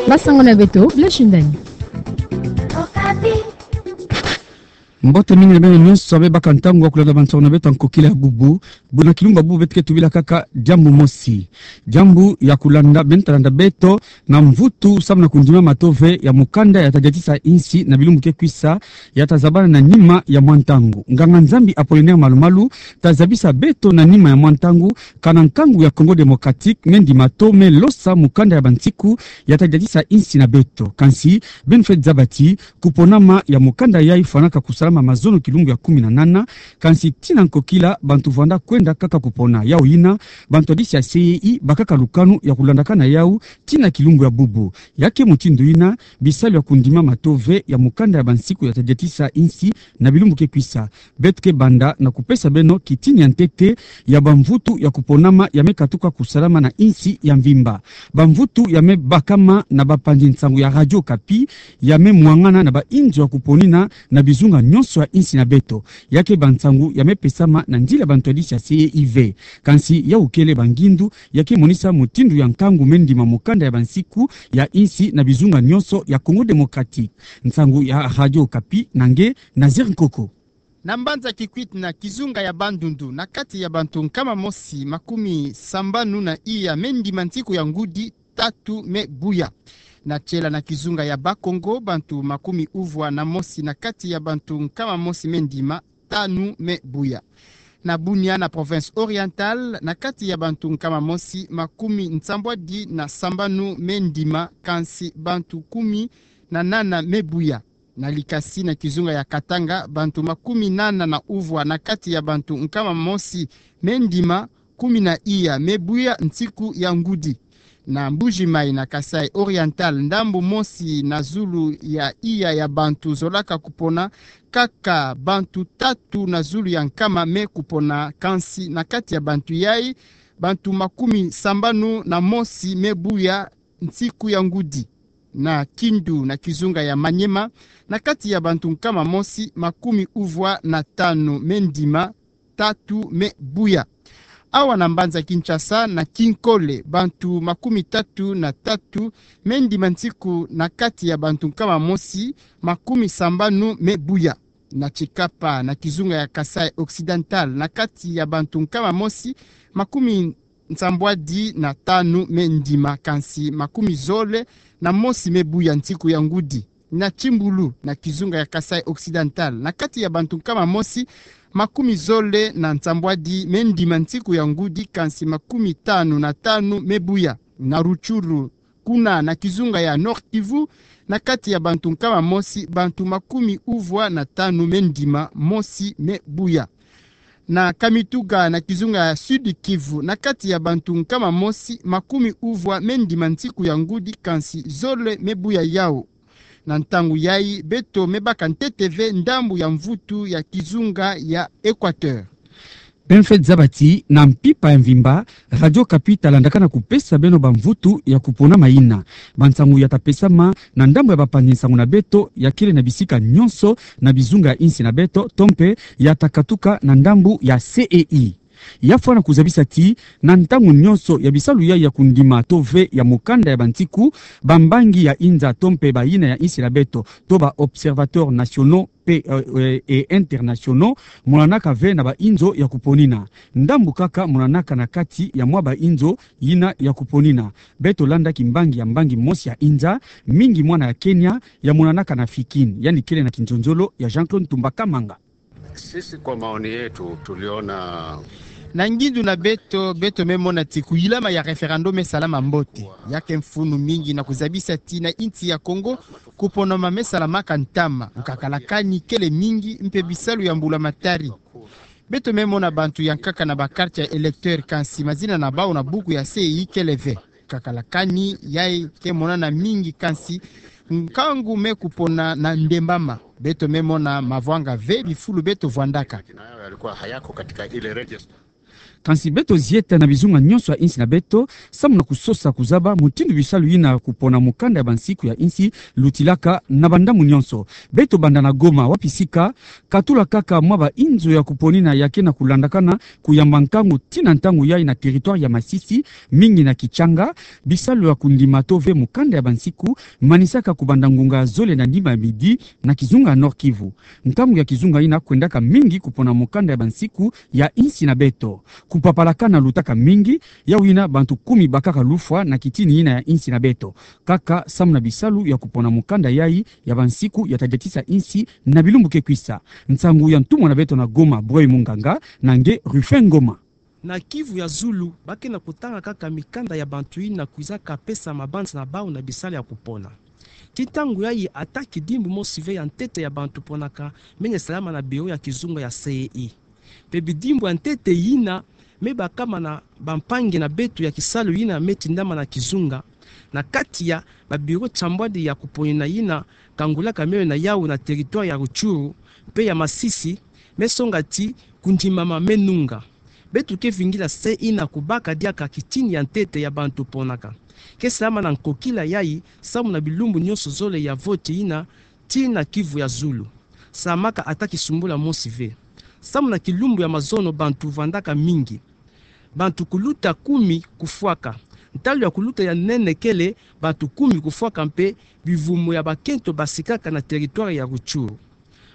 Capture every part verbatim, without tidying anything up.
Basango na beto, Blaise Shindani. Mbote mingi na beno nyonso abe baka ntangu ya kulanda bansango na beto ya nkokila ya bubu. Buna kilumbu ya bubu beto ke tubila kaka diambu mosi. Diambu ya kulanda, beno ta landa beto na mvutu samu na kundima mato ve ya mukanda ya ta diatisa insi na bilumbu ke kwisa, ya ta zabana na nima ya mwa ntangu. Nganga-Nzambi Apollinaire Malu-Malu ta zabisa beto na nima ya mwa ntangu, kana nkangu ya Congo Démocratique me ndima to me losa mukanda ya bansiku ya ta diatisa insi na beto. Kansi, beno fweti zaba ti, kuponama ya mukanda yayi fwanaka kusalama mazono kilumbu ya kumi na nana, kansi tii na nkokila bantu vwanda kwenda kaka kupona. Yau yina, bantu ya disi ya C E I bakaka lukanu ya kulandakana yau tii na kilumbu ya bubu. Ya ke mutindu yina, bisalu ya kundima mato ve ya mukanda ya bansiku ya ta diatisa insi na bilumbu ke kwisa. Beto ke banda na kupesa beno kitini ya ntete ya bamvutu ya kuponama ya me katuka kusalama na insi ya mvimba. Bamvutu ya me bakama na bapanzi nsangu ya Radio Okapi, ya me mwangana na bainzo ya kuponina na bizunga nyonso ya insi na beto. Ya ke bansangu ya me pesama na nzila bantu ya disi ya C E I ve. Kansi yau kele bangindu ya ke monisa mutindu ya nkangu me ndima mukanda ya bansiku ya insi na bizunga nyonso ya Congo Démocratique. Nsangu ya Radio Okapi na nge, Nazaire Nkoko. Na mbanza Kikwit na kizunga ya Bandundu, na kati ya bantu nkama mosi makumi sambanu na iya me ndima nsiku ya ngudi, tatu me buya. Na Tsela na kizunga ya Bas-Congo, bantu makumi uvwa na mosi na kati ya bantu nkama mosi me ndima, tanu me buya. Na Bunia na province Orientale, na kati ya bantu nkama mosi makumi nsambwadi na sambanu me ndima, kansi bantu kumi na nana me buya. Na Likasi na kizunga ya Katanga, bantu makumi nana na uvwa na kati ya bantu nkama mosi me ndima, kumi na iya me buya nsiku ya ngudi. Na Mbuji-Mayi na Kasaï Oriental, ndambu mosi na zulu ya iya ya bantu zolaka kupona, kaka bantu tatu na zulu ya nkama me kupona, kansi na kati ya bantu yayi, bantu makumi sambanu na mosi me buya nsiku ya ngudi. Na Kindu na kizunga ya Maniema, na kati ya bantu nkama mosi, makumi uvwa na tanu me ndima, tatu me buya. Awa na mbanza Kinshasa na Kinkole, bantu makumi tatu na tatu me ndima nsiku na kati ya bantu nkama mosi, makumi sambanu me buya. Na Tshikapa na kizunga ya Kasaï Occidental, na kati ya bantu nkama mosi, makumi nsambwadi na tanu me ndima, kansi makumi zole na mosi me buya nsiku ya ngudi. Na Tsimbulu na kizunga ya Kasaï Occidental, na kati ya bantu nkama mosi, makumi zole na nsambwadi me ndima nsiku ya ngudi, kansi makumi tanu na tanu me buya. Na Rutshuru, kuna na kizunga ya Nord-Kivu, na kati ya bantu nkama mosi, bantu makumi uvwa na tanu me ndima, mosi me buya. Na Kamituga na kizunga ya Sud-Kivu, na kati ya bantu nkama mosi, makumi uvwa me ndima nsiku ya ngudi, kansi zole me buya yau. Na ntangu yayi, beto me baka ntete ve ndambu ya mvutu ya kizunga ya Équateur. Beno fweti zaba ti, na mpimpa ya mvimba, Radio Okapi ta landakana kupesa beno bamvutu ya kuponama yina. Bansangu ya ta pesama na ndambu ya bapanzi nsangu na beto ya kele na bisika nyonso na bizunga ya insi na beto, to mpe ya ta katuka na ndambu ya C E I. Ya fwana kuzabisa ti, na ntangu nyonso ya bisalu yayi ya kundima to ve ya mukanda ya bansiku, bambangi ya inza to mpe bayina ya insi na beto, to ba observateurs nationaux pe, euh, euh, et internationaux, monanaka ve na bainzo ya kuponina. Ndambu kaka monanaka na kati ya mwa bainzo yina ya kuponina. Beto landa kimbangi ya mbangi mosi ya inza, mingi mwana ya Kenya, ya monanaka na Fikin, yandi kele na kinzonzolo ya Jean-Claude Ntumba Kamanga. Sisi kwa maoni yetu tuliona. Na ngindu na beto, beto me mona ti kuyilama ya référendum me salama mbote. Ya ke mfunu mingi na kuzabisa ti na insi ya Congo, kuponama me salamaka ntama, nkakalakani kele mingi mpe bisalu ya mbula matari. Beto me mona bantu ya nkaka na ba carte ya électeur, kansi mazina na bau na buku ya C E I kele ve. Nkakalakani yayi ke monana mingi, kansi nkangu me kupona na ndembama. Beto me mona mavwanga ve bifulu beto vwandaka. Majina yao yalikuwa hayako katika ile register. Kansi beto zieta na bizunga nyonso ya insi na beto, samu na kusosa kuzaba mutindu bisalu yina kupona mukanda ya bansiku ya insi lutilaka na bandambu nyonso. Beto banda na Goma, wapi sika katula kaka mwa bainzo ya kuponina ya ke na kulandakana kuyamba nkangu tii na ntangu yai na territoire ya Masisi, mingi na Kitshanga. Bisalu ya kundima to ve mukanda ya bansiku manisaka kubanda ngunga zole na nima ya midi na kizunga Nord-Kivu. Nkangu ya kizunga yina kwendaka mingi kupona mukanda ya bansiku ya insi na beto. Kupapalakana lutaka mingi, yawu yina bantu kumi bakaka lufwa na kitini yina ya insi na beto, kaka samu na bisalu ya kupona mukanda yai ya bansiku ya tadiatisa insi na bilumbu ke kwisa. Nsangu ya ntumwa na beto na Goma, Boy Munganga, na nge Ruffin Ngoma. Na Kivu ya Zulu, ba ke na kutanga kaka mikanda ya bantu yina kwizaka pesa mabanza na bawu na bisalu ya kupona. Tii ntangu yai, ata kidimbu mosi ve ya ntete ya bantu ponaka mene salama na biro ya kizunga ya C E I. Mpe bidimbu ya ntete yina me bakama na bampangi na beto ya kisalu yina me tindama na kizunga, na kati ya babiro nsambwadi ya kuponina yina kangulaka miole na yawu na territoire ya Rutshuru mpe ya Masisi, me songa ti kundimama me nunga. Beto ke vingila C E I na kubaka diaka kitini ya ntete ya bantu ponaka. Ke salama na nkokila yai samu na bilumbu nyonso zole ya voti yina tii na Kivu ya Zulu. Salamaka ata kisumbula mosi ve. Samu na kilumbu ya mazono bantu vandaka mingi. Bantu kuluta kumi kufwaka. Ntalu ya kuluta ya nene kele bantu kumi kufwaka mpe bivumu ya bakento basikaka na territoire ya Rutshuru.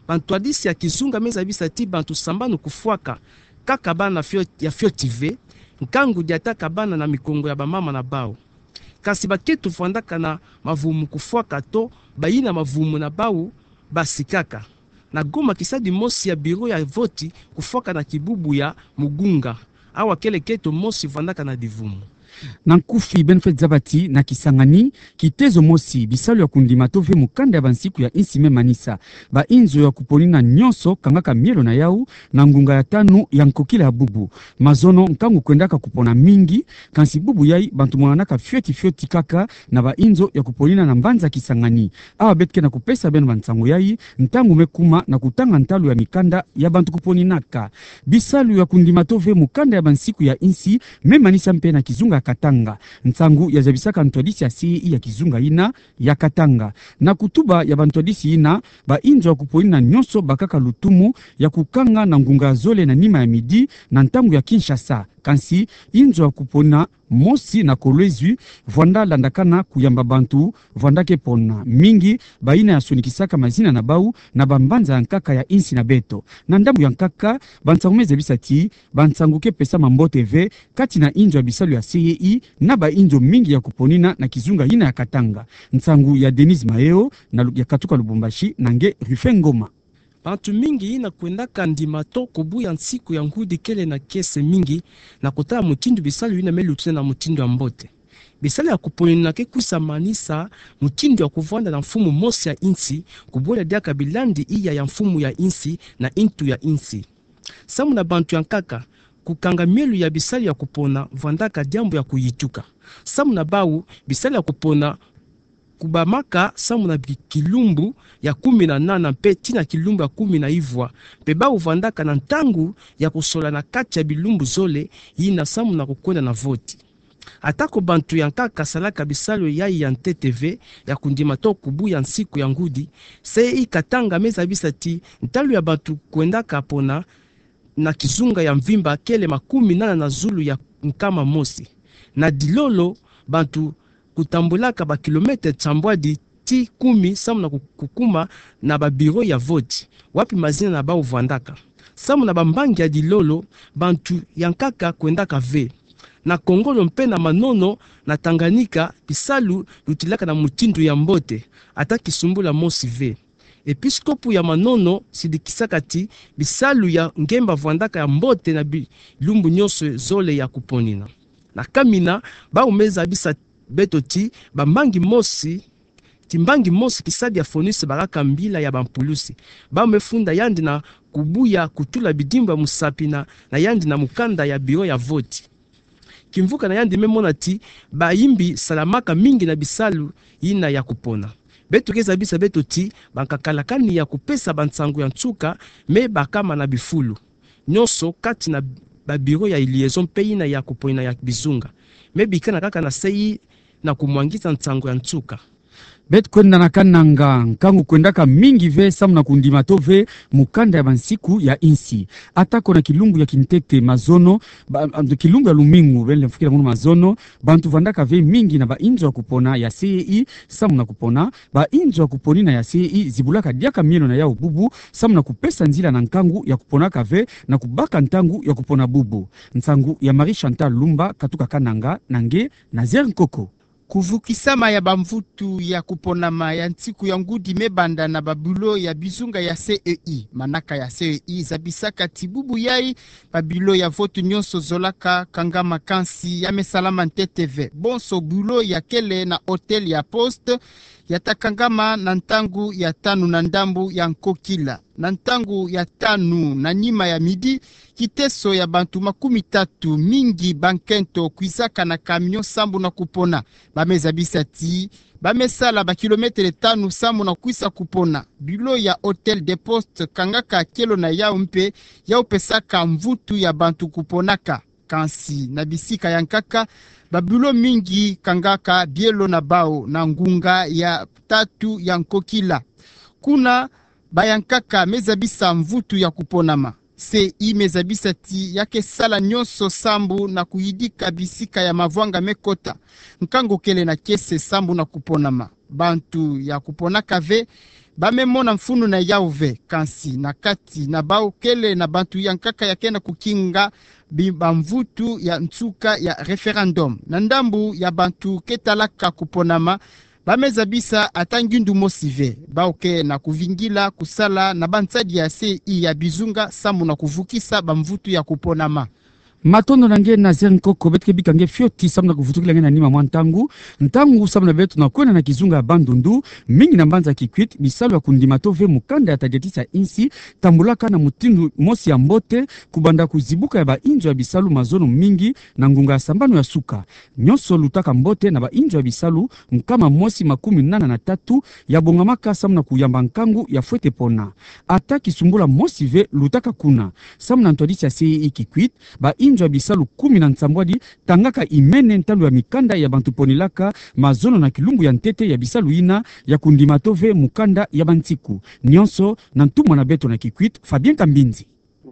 Bantwadisi ya kizunga me zabisa ti bantu sambanu kufwaka, kaka bana fio-, ya fioti ve, nkangu diataka bana na mikongo ya bamama na bawu. Kansi bakento vandaka na mavumu kufwaka to bayina mavumu na bawu basikaka. Na Goma, kisadi mosi ya biro ya voti kufwaka na kibubu ya Mugunga. Awa kele kento mosi vandaka na bivumu. Na nkufi, beno fweti zaba ti na Kisangani, kitezo mosi, bisalu ya kundima to ve mukanda ya bansiku ya insi me manisa. Bainzo ya kuponina nyonso kangaka mielo na yawu na ngunga ya tanu ya nkokila ya bubu. Mazono nkangu kwendaka kupona mingi, kansi bubu yai bantu monanaka fioti fioti kaka na bainzo ya kuponina na mbanza Kisangani. Awa beto ke na kupesa beno bansangu yai, ntangu me kuma na kutanga ntalu ya mikanda ya bantu kuponinaka. Bisalu ya kundima to ve mukanda ya bansiku ya insi me manisa mpe na kizunga ya Katanga. Nsangu ya zabisaka ntwadisi ya C E I ya kizunga yina ya Katanga. Na kutuba ya bantwadisi yina, bainzo ya kuponina nyonso bakaka lutumu ya kukanga na ngunga ya zole na nima ya midi na ntangu ya Kinshasa. Kansi inzo ya kupona mosi na Kolwezi vwanda landakana kuyamba bantu vwanda ke pona. Mingi bayina ya sonikisaka mazina na bawu na bambanza ya nkaka ya insi na beto. Na ndambu ya nkaka, bansangu me zabisa ti bansangu ke pesama mbote ve kati na inzo ya bisalu ya C E I na bainzo mingi ya kuponina na kizunga yina ya Katanga. Nsangu ya Denise Maeo na Lu-, ya katuka Lubumbashi, na nge Ruffin Ngoma. Bantu mingi yina kwendaka ndima to kubuya nsiku ya ngudi kele na kiese mingi na kutala mutindu bisalu yina me lutila na mutindu ya mbote. Bisalu ya kuponina ke kwisa manisa mutindu ya kuvwanda na mfumu mosi ya insi, kubwela diaka bilandi iya ya mfumu ya insi na intu ya insi. Samu na bantu ya nkaka, kukanga mielu ya bisalu ya kupona vwandaka diambu ya kuyituka. Samu na bawu, bisalu ya kupona kubamaka samu na bi-, kilumbu ya kumi na nana mpe tii na kilumbu ya kumi na ivwa, mpe bawu vwandaka na ntangu ya kusola na kati ya bilumbu zole yina samu na kukwenda na voti. Atako bantu ya nkaka salaka bisalu yai ya ntete ve ya kundima to kubuya nsiku ya ngudi, C E I Katanga me zabisa ti ntalu ya bantu kwendaka pona na kizunga ya mvimba kele makumi nana na zulu ya nkama mosi. Na Dilolo, bantu kutambulaka ba kilomètre nsambwadi tii kumi samu na ku-, kukuma na ba bureau ya voti, wapi mazina na bawu vwandaka. Samu na bambangi ya Dilolo, bantu ya nkaka kwendaka ve. Na Kongolo mpe na Manono, na Tanganyika, bisalu lutilaka na mutindu ya mbote, ata kisumbula mosi ve. Episkopo ya Manono sidikisaka ti bisalu ya ngemba vwandaka ya mbote na bilumbu nyonso zole ya kuponina. Na Kamina, bawu me zabisa beto ti bambangi mosi, ti mbangi mosi kisadi ya FONGIP bakaka mbila ya bampulusi. Bawu me funda yandi na kubuya kutula bidimbu ya musapi na, na yandi na mukanda ya bureau ya voti. Kimvuka na yandi me mona ti bayimbi salamaka mingi na bisalu yina ya kupona. Beto ke zabisa beto ti bankakalakani ya kupesa bansangu ya nsuka me bakama na bifulu nyonso kati na ba bureau ya liaison mpe yina ya kuponina ya bizunga. Me bikana kaka na se yi na kumwangisa nsangu ya nsuka. Beto kwenda na kananga, nkangu kwendaka mingi ve samu na kundima to ve mukanda ya bansiku ya insi. Atako na kilumbu ya kintete mazono, ba, kilumbu ya lumingu, bele mfukila munu mazono, bantu vandaka ve mingi na bainzo ya kupona ya C E I samu na kupona. Bainzo ya kuponina ya C E I zibulaka diaka mielo na yau bubu samu na kupesa nzila na nkangu ya kuponaka ve na kubaka ntangu ya kupona bubu. Nsangu ya Marie Chantal Lumba, katuka kananga, na nge Nazaire Nkoko. Kuvukisama ya bamvutu ya kuponama ya nsiku ya ngudi me banda na ba bureau ya bizunga ya C E I. Manaka ya C E I zabisaka ti bubu yai ba bureau ya vote nyonso zolaka kangama, kansi ya me salama ntete ve. Bonso bureau ya kele na hôtel ya poste ya ta kangama na ntangu ya tanu na ndambu ya nkokila. Na ntangu ya tanu na nima ya midi, kiteso ya bantu makumi tatu, mingi bankento, kwizaka na camion sambu na kupona. Ba me zabisa ti ba me sala ba kilometele tanu sambu na kwisa kupona. Bureau ya hôtel de poste kangaka kielo na yau mpe yau pesaka mvutu ya bantu kuponaka. Kansi na bisika ya nkaka, ba bureau mingi kangaka bielo na bau na ngunga ya tatu ya nkokila. Kuna ba ya nkaka me zabisa mvutu ya kuponama. C E I me zabisa ti ya ke sala nyonso sambu na kuyidika bisika ya mavwanga me kota. Nkangu kele na kiese sambu na kuponama. Bantu ya kuponaka ve ba me mona mfunu na yau ve, kansi na kati na bau kele na bantu ya nkaka ya ke na kukinga bi-, bamvutu ya nsuka ya référendum. Na ndambu ya bantu ke talaka kuponama, ba me zabisa ata ngindu mosi ve. Bau ke na kuvingila kusala na bansadi ya C E I ya bizunga sambu na kuvukisa bamvutu ya kuponama. Matondo na nge Nazaire Nkoko, beto ke bika nge fioti sambu na kuvutukila nge na nima mwa ntangu. Ntangu sambu na beto na kwenda na kizunga ya Bandundu, mingi na mbanza Kikwit, bisalu ya kundima to ve mukanda ya tadiatisa insi tambulaka na mutindu mosi ya mbote, kubanda kuzibuka ya bainzo ya bisalu mazono mingi na ngunga ya sambanu ya suka. Nyonso lutaka mbote na bainzo ya bisalu nkama mosi makumi nana na tatu ya bongamaka sambu na kuyamba nkangu ya fwete pona. Ata kisumbula mosi ve lutaka kuna. Sambu na ntwadisi ya C E I Kikwit, bainzo ya bisalu kumi na nsambwadi tangaka imene ntalu ya mikanda ya bantu ponilaka mazono na kilumbu ya ntete ya bisalu yina ya kundima to ve mukanda ya bansiku. Nyonso na ntumwa na beto na Kikwit, Fabien Kambinzi.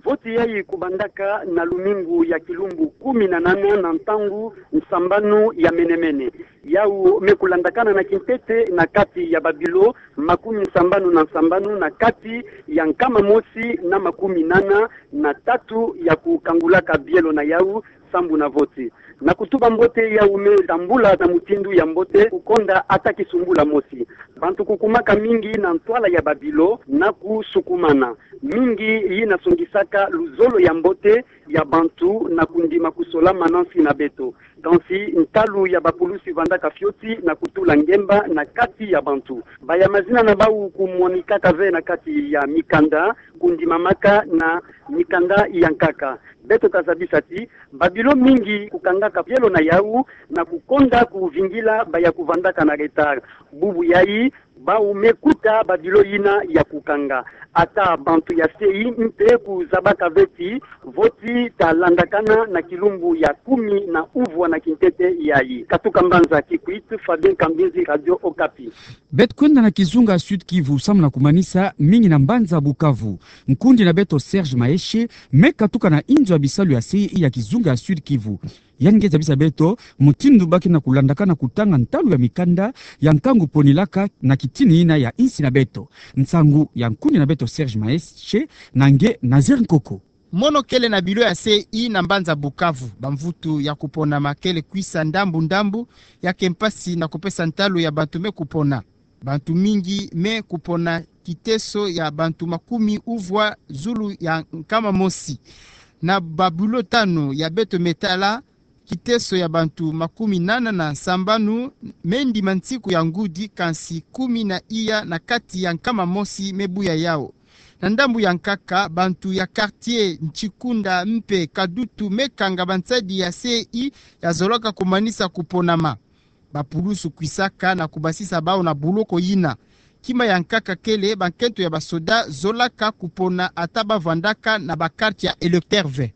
Voti yai kubandaka na lumingu ya kilumbu kumi na nana na ntangu nsambanu ya menemene. Yau me kulandakana na kintete na kati ya ba bureau makumi nsambanu na nsambanu na kati ya nkama mosi na makumi nana na tatu ya kukangulaka bielo na yau sambu na voti. Na kutuba mbote, yau me tambula na mutindu ya mbote, kukonda ata kisumbula mosi. Bantu kukumaka mingi na ntwala ya ba bureau na kusukumana. Mingi yina songisaka luzolo ya mbote ya bantu na kundima kusola manansi na beto. Kansi ntalu ya bapulusi vandaka fioti na kutula ngemba na kati ya bantu. Ba ya mazina na bau kumwanikaka ve na kati ya mikanda, kundimamaka na mikanda ya nkaka. Beto ta zabisa ti ba bureau mingi kukangaka bielo na yau na kukonda kuvingila ba ya kuvandaka na retard. Bubu yai, bau me kuta ba bureau yina ya kukanga. Ata bantu ya C E I mpe kuzabaka ve ti voti ta landakana na kilumbu ya kumi na uvwa na kintete yai. Katuka mbanza Kikwit, Fabien Kambinzi, Radio Okapi. Beto kwenda na kizunga Sud-Kivu, samu na kumanisa mingi na mbanza Bukavu. Nkundi na beto Serge Maeshe me katuka na inzo ya bisalu ya C E I ya kizunga ya Sud-Kivu. Yandi nge zabisa beto mutindu ba ke na kulandaka na kutanga ntalu ya mikanda ya nkangu ponilaka na kitini yina ya insi na beto. Nsangu ya nkundi na beto Serge Maeshe, na nge Nazaire Nkoko. Mono kele na bureau ya C E I na mbanza Bukavu. Bamvutu ya kuponama kele kwisa ndambu ndambu, ya ke mpasi na kupesa ntalu ya bantu me kupona. Bantu mingi me kupona kiteso ya bantu makumi uvwa zulu ya nkama mosi. Na ba bureau tanu ya beto me tala, kiteso ya bantu makumi nana na nsambanu me ndima nsiku ya ngudi, kansi kumi na iya na kati ya nkama mosi me buya yau. Na ndambu ya nkaka, bantu ya quartier Nchikunda mpe Kadutu me kanga bansadi ya C E I ya zolaka kumanisa kuponama. Bapulusu kwisaka na kubasisa bau na buloko yina. Kima ya nkaka kele bankento ya basoda zolaka kupona ata ba vandaka na ba carte ya électeur ve.